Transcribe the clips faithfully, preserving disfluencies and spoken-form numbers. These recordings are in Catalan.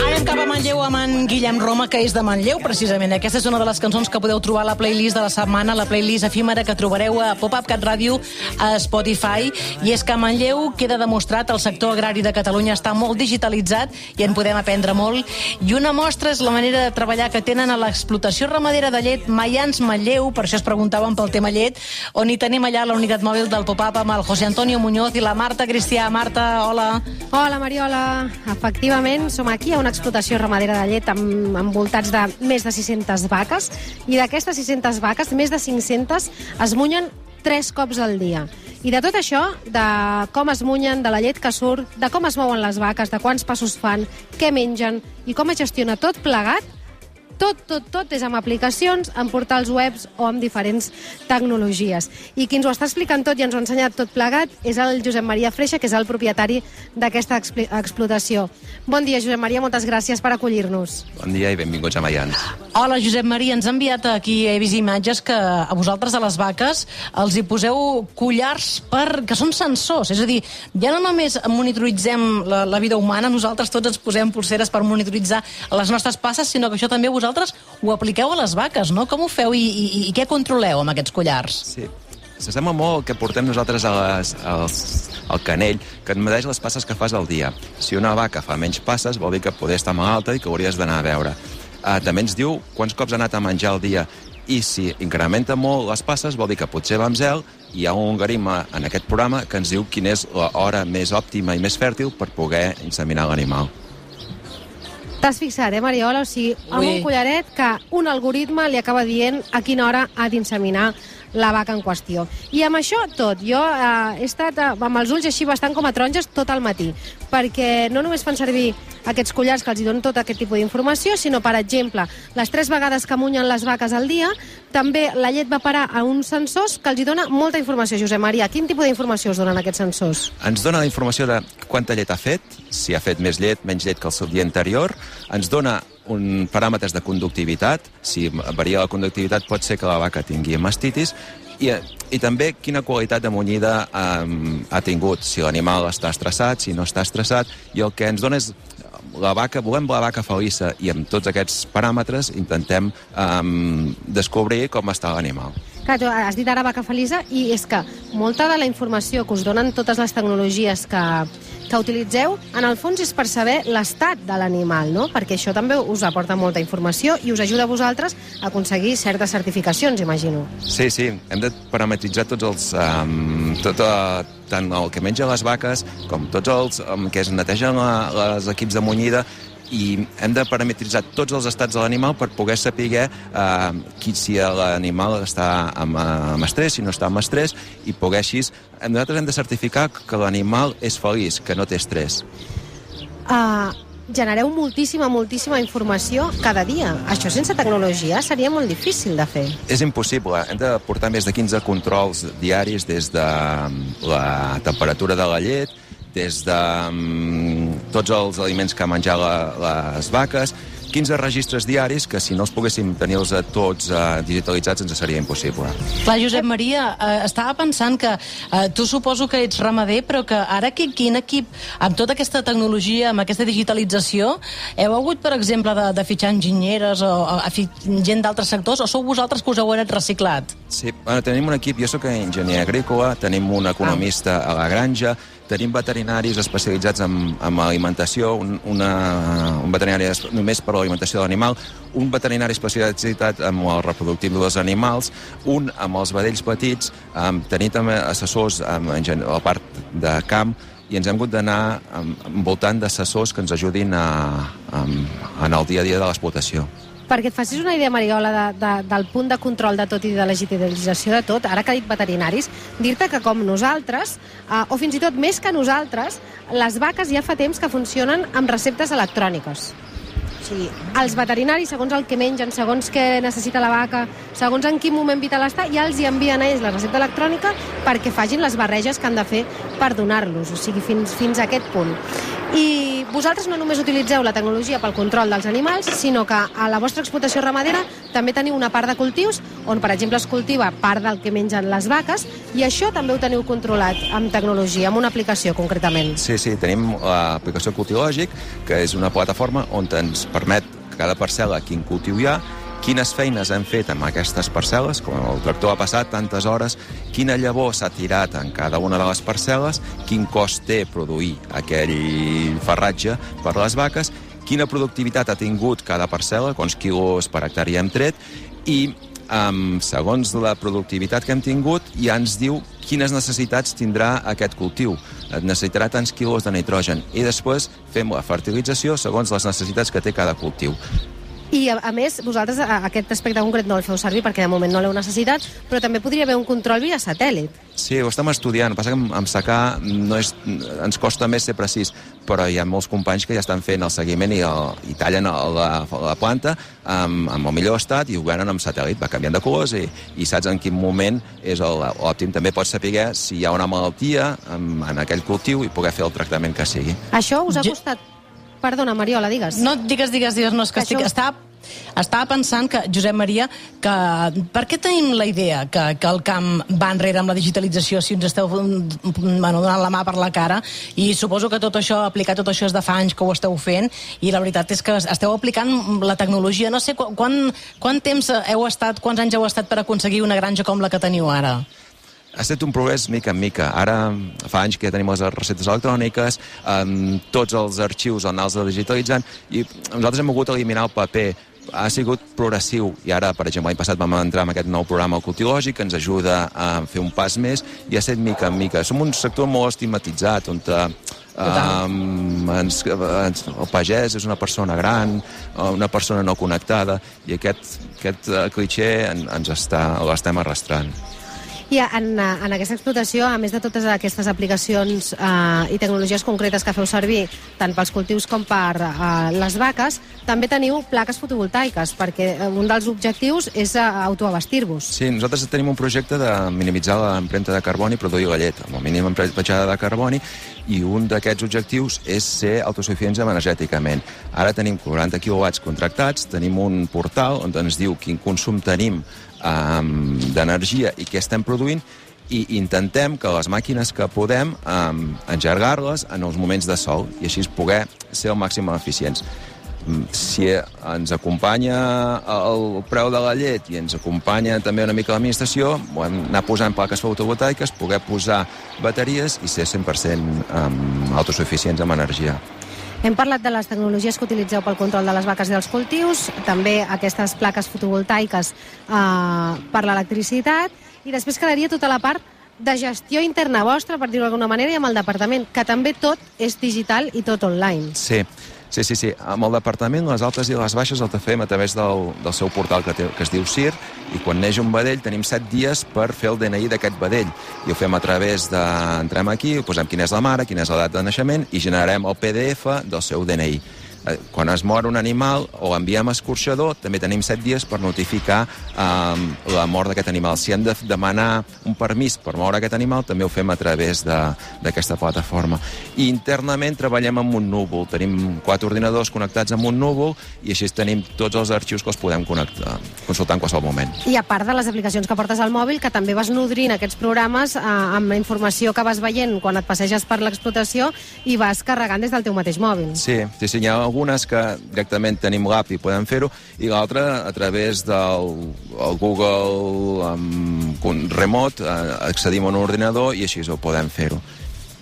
Anem cap a Manlleu amb en Guillem Roma, que és de Manlleu, precisament. Aquesta és una de les cançons que podeu trobar a la playlist de la setmana, la playlist efímera que trobareu a Pop-Up Cat Ràdio a Spotify. I és que a Manlleu queda demostrat el sector agrari de Catalunya està molt digitalitzat i en podem aprendre molt. I una mostra és la manera de treballar que tenen a l'explotació ramadera de llet Maians Manlleu, per això es preguntaven pel tema llet, on hi tenim allà la unitat mòbil del Pop-Up amb el José Antonio Muñoz i la Marta Cristià. Marta, hola. Hola, Mariola. Efectivament, som aquí a una explotació ramadera de llet amb, envoltats de més de sis-centes vaques, i d'aquestes sis-centes vaques, més de cinc-centes es munyen tres cops al dia. I de tot això, de com es munyen, de la llet que surt, de com es mouen les vaques, de quants passos fan, què mengen i com es gestiona tot plegat, tot, tot, tot és amb aplicacions, en portals webs o amb diferents tecnologies. I qui ens ho està explicant tot i ens ho ha ensenyat tot plegat és el Josep Maria Freixa, que és el propietari d'aquesta explotació. Bon dia, Josep Maria, moltes gràcies per acollir-nos. Bon dia i benvinguts a Maians. Hola, Josep Maria, ens ha enviat aquí, he vist imatges que a vosaltres a les vaques els hi poseu collars per, que són sensors, és a dir, ja no només monitoritzem la, la vida humana, nosaltres tots ens posem pulseres per monitoritzar les nostres passes, sinó que això també vosaltres vosaltres ho apliqueu a les vaques, no? Com ho feu i, i, i què controleu amb aquests collars? Sí, s'assembla molt el que portem nosaltres a les, als, al canell, que et medeix les passes que fas al dia. Si una vaca fa menys passes, vol dir que poder estar malalta i que hauries d'anar a veure. Uh, també ens diu quants cops ha anat a menjar al dia, i si incrementa molt les passes, vol dir que potser va amb zel, i hi ha un algoritme en aquest programa que ens diu quina és l'hora més òptima i més fèrtil per poder inseminar l'animal. T'has fixat, eh, Mariola? O sigui, amb un collaret que un algoritme li acaba dient a quina hora ha d'inseminar la vaca en qüestió. I amb això tot, jo eh, he estat eh, amb els ulls així bastant com a taronges tot el matí, perquè no només fan servir aquests collars que els donen tot aquest tipus d'informació, sinó, per exemple, les tres vegades que munyen les vaques al dia, també la llet va parar a uns sensors que els dona molta informació. Josep Maria, quin tipus d'informació us donen aquests sensors? Ens dona la informació de quanta llet ha fet, si ha fet més llet, menys llet que el seu dia anterior, ens dona un paràmetres de conductivitat, si varia la conductivitat pot ser que la vaca tingui mastitis, i, i també quina qualitat de munyida um, ha tingut, si l'animal està estressat, si no està estressat, i el que ens dona és la vaca, volem la vaca feliça, i amb tots aquests paràmetres intentem um, descobrir com està l'animal. Clar, tu has dit ara vaca feliça, i és que molta de la informació que us donen totes les tecnologies que, que utilitzeu, en el fons és per saber l'estat de l'animal, no? Perquè això també us aporta molta informació i us ajuda a vosaltres a aconseguir certes certificacions, imagino. Sí, sí, hem de parametritzar tots els... Um, tot, uh, tant el que mengen les vaques com tots els um, que es netegen la, les equips de munyida, i hem de parametritzar tots els estats de l'animal per poder saber eh, qui, si l'animal està amb, amb estrès, si no està amb estrès, i poder així... Nosaltres hem de certificar que l'animal és feliç, que no té estrès. Uh, genereu moltíssima, moltíssima informació cada dia. Això sense tecnologia seria molt difícil de fer. És impossible. Hem de portar més de quinze controls diaris, des de la temperatura de la llet, des de um, tots els aliments que menjar la, les vaques, quinze registres diaris que si no els poguéssim tenir-los a tots uh, digitalitzats ens seria impossible. Clar, Josep Maria, eh, estava pensant que eh, tu suposo que ets ramader, però que ara qui, quin equip, amb tota aquesta tecnologia, amb aquesta digitalització, heu hagut, per exemple, de, de fitxar enginyeres o, o o gent d'altres sectors, o sou vosaltres que us heu reciclat? Sí, bueno, tenim un equip, jo soc enginyer agrícola, tenim un economista a la granja, tenim veterinaris especialitzats en, en alimentació, un, una, un veterinari només per l'alimentació de l'animal, un veterinari especialitzat en el reproductiu dels animals, un amb els vedells petits, um, tenim també assessors um, en la part de camp, i ens hem hagut d'anar um, envoltant d'assessors que ens ajudin a, um, en el dia a dia de l'explotació. Perquè et facis una idea, Mariola, de, de, del punt de control de tot i de legitimització de tot, ara que ha dit veterinaris, dir-te que com nosaltres, eh, o fins i tot més que nosaltres, les vaques ja fa temps que funcionen amb receptes electròniques. O sigui, els veterinaris, segons el que mengen, segons què necessita la vaca, segons en quin moment vital està, ja els hi envien a ells la recepta electrònica perquè facin les barreges que han de fer per donar-los, o sigui, fins, fins a aquest punt. I vosaltres no només utilitzeu la tecnologia pel control dels animals, sinó que a la vostra explotació ramadera també teniu una part de cultius on, per exemple, es cultiva part del que mengen les vaques, i això també ho teniu controlat amb tecnologia, amb una aplicació concretament. Sí, sí, tenim l'aplicació Cultilògic, que és una plataforma on ens permet cada parcel·la quin cultiu hi ha, quines feines hem fet amb aquestes parcel·les, com el tractor ha passat tantes hores, quina llavor s'ha tirat en cada una de les parcel·les, quin cost té produir aquell farratge per les vaques, quina productivitat ha tingut cada parcel·la, quants quilos per hectàrea hem tret, i um, segons la productivitat que hem tingut ja ens diu quines necessitats tindrà aquest cultiu. Necessitarà tants quilos de nitrogen, i després fem la fertilització segons les necessitats que té cada cultiu. I, a, a més, vosaltres a, aquest aspecte concret no el feu servir perquè de moment no l'heu necessitat, però també podria haver un control via satèl·lit. Sí, ho estem estudiant. Passa que amb, amb secà no és, ens costa més ser precís, però hi ha molts companys que ja estan fent el seguiment i, el, i tallen la, la planta amb, amb el millor estat i ho venen amb satèl·lit. Va canviant de colors i, i saps en quin moment és òptim. També pots saber si hi ha una malaltia en, en aquell cultiu i poder fer el tractament que sigui. Això us ha costat... Perdona, Mariola, digues. No, digues, digues, digues. No, és que, que estic... Això... Estava... Estava pensant que, Josep Maria, que per què tenim la idea que, que el camp va enrere amb la digitalització si ens esteu bueno, donant la mà per la cara? I suposo que tot això, aplicar tot això és de fa anys que ho esteu fent, i la veritat és que esteu aplicant la tecnologia. No sé, quan, quant temps heu estat, quants anys heu estat per aconseguir una granja com la que teniu ara? Ha estat un progrés mica en mica. Ara fa anys que ja tenim les receptes electròniques, um, tots els arxius on els digitalitzant, i nosaltres hem volgut eliminar el paper. Ha sigut progressiu, i ara, per exemple, l'any passat vam entrar en aquest nou programa Cultilògic que ens ajuda a fer un pas més, i ha estat mica en mica. Som un sector molt estigmatitzat, on um, ens, ens, el pagès és una persona gran, una persona no connectada, i aquest, aquest clitxer en, ens està, l'estem arrastrant. I en, en aquesta explotació, a més de totes aquestes aplicacions eh, i tecnologies concretes que feu servir, tant pels cultius com per eh, les vaques, també teniu plaques fotovoltaiques, perquè un dels objectius és eh, autoabastir-vos. Sí, nosaltres tenim un projecte de minimitzar l'empremta de carboni i produir la llet, amb el mínim petjada de carboni, i un d'aquests objectius és ser autosuficients energèticament. Ara tenim quaranta quilowatts contractats, tenim un portal on ens diu quin consum tenim Um, d'energia i què estem produint, i intentem que les màquines que podem um, engegar-les en els moments de sol i així poder ser al màxim eficients. Si ens acompanya el preu de la llet i ens acompanya també una mica l'administració, hem anar posant plaques fotovoltaiques, poder posar bateries i ser cent per cent um, autosuficients amb energia. Hem parlat de les tecnologies que utilitzeu pel control de les vaques i dels cultius, també aquestes plaques fotovoltaiques eh, per l'electricitat, i després quedaria tota la part de gestió interna vostra, per dir-ho d'alguna manera, i amb el departament, que també tot és digital i tot online. Sí, sí, sí. sí. Amb el departament, les altes i les baixes el fem a través del, del seu portal que, té, que es diu C I R, i quan neix un vedell tenim set dies per fer el D N I d'aquest vedell. I ho fem a través de... Entrem aquí, posem quina és la mare, quina és la data de naixement, i generarem el P D F del seu D N I. Quan es mor un animal o l'enviem a escorxador, també tenim set dies per notificar um, la mort d'aquest animal. Si hem de demanar un permís per moure aquest animal, també ho fem a través d'aquesta plataforma. I internament treballem amb un núvol. Tenim quatre ordinadors connectats amb un núvol i així tenim tots els arxius que els podem connectar, consultar en qualsevol moment. I a part de les aplicacions que portes al mòbil, que també vas nodrint aquests programes eh, amb la informació que vas veient quan et passeges per l'explotació i vas carregant des del teu mateix mòbil. Sí, sí, sí, hi ha algunes que directament tenim l'app i podem fer-ho, i l'altra a través del Google um, Remote uh, accedim a un ordinador i així ho podem fer-ho.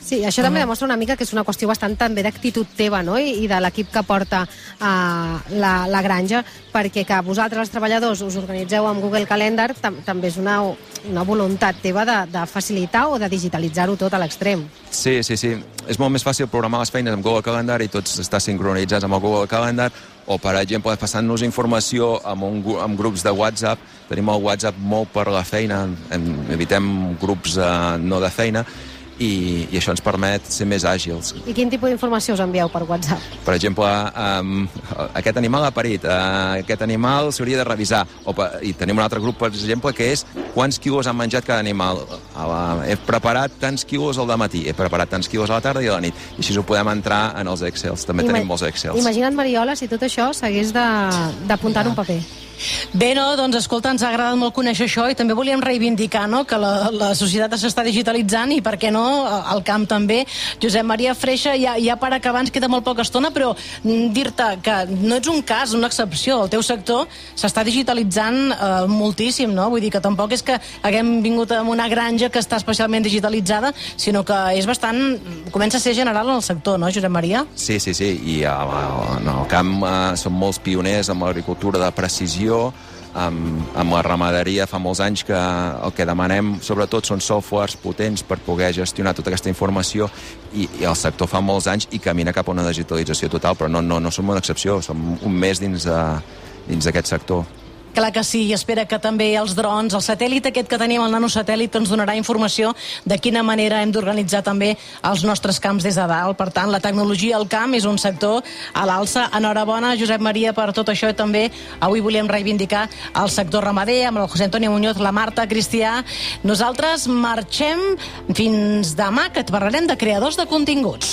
Sí, això també demostra una mica que és una qüestió bastant també d'actitud teva, no?, i, i de l'equip que porta uh, la, la granja, perquè que vosaltres, els treballadors, us organitzeu amb Google Calendar tam també és una, una voluntat teva de, de facilitar o de digitalitzar-ho tot a l'extrem. Sí, sí, sí. És molt més fàcil programar les feines amb Google Calendar i tots estar sincronitzats amb el Google Calendar, o, per exemple, passant-nos informació amb, un, amb grups de WhatsApp. Tenim el WhatsApp molt per la feina, evitem grups uh, no de feina, i, i això ens permet ser més àgils. I quin tipus d'informació us envieu per WhatsApp? Per exemple, um, aquest animal ha parit, uh, aquest animal s'hauria de revisar. O, I tenim un altre grup, per exemple, que és quants quilos han menjat cada animal. Uh, he preparat tants quilos al dematí, he preparat tants quilos a la tarda i a la nit. I així ho podem entrar en els Excels. També Ima tenim molts Excels. Imagina't, Mariola, si tot això s'hagués d'apuntar en un paper. Bé, no, doncs escolta, ens ha agradat molt conèixer això i també volíem reivindicar, no?, que la, la societat s'està digitalitzant i, per què no, el camp també. Josep Maria Freixa, ja, ja per acabar, ens queda molt poca estona, però dir-te que no ets un cas, una excepció. El teu sector s'està digitalitzant eh, moltíssim, no? Vull dir que tampoc és que haguem vingut a una granja que està especialment digitalitzada, sinó que és bastant... comença a ser general en el sector, no, Josep Maria? Sí, sí, sí, i en el camp eh, som molts pioners amb l'agricultura de precisió, amb, amb la ramaderia fa molts anys que el que demanem sobretot són softwares potents per poder gestionar tota aquesta informació i, i el sector fa molts anys i camina cap a una digitalització total, però no, no, no som una excepció, som un mes dins de, dins d'aquest sector. Clar que sí, i espera que també els drons, el satèl·lit aquest que tenim, el nanosatèl·lit, ens donarà informació de quina manera hem d'organitzar també els nostres camps des de dalt. Per tant, la tecnologia al camp és un sector a l'alça. Enhorabona, Josep Maria, per tot això i també avui volíem reivindicar el sector ramader amb el José Antonio Muñoz, la Marta, Cristià. Nosaltres marxem fins demà, que et parlarem de creadors de continguts.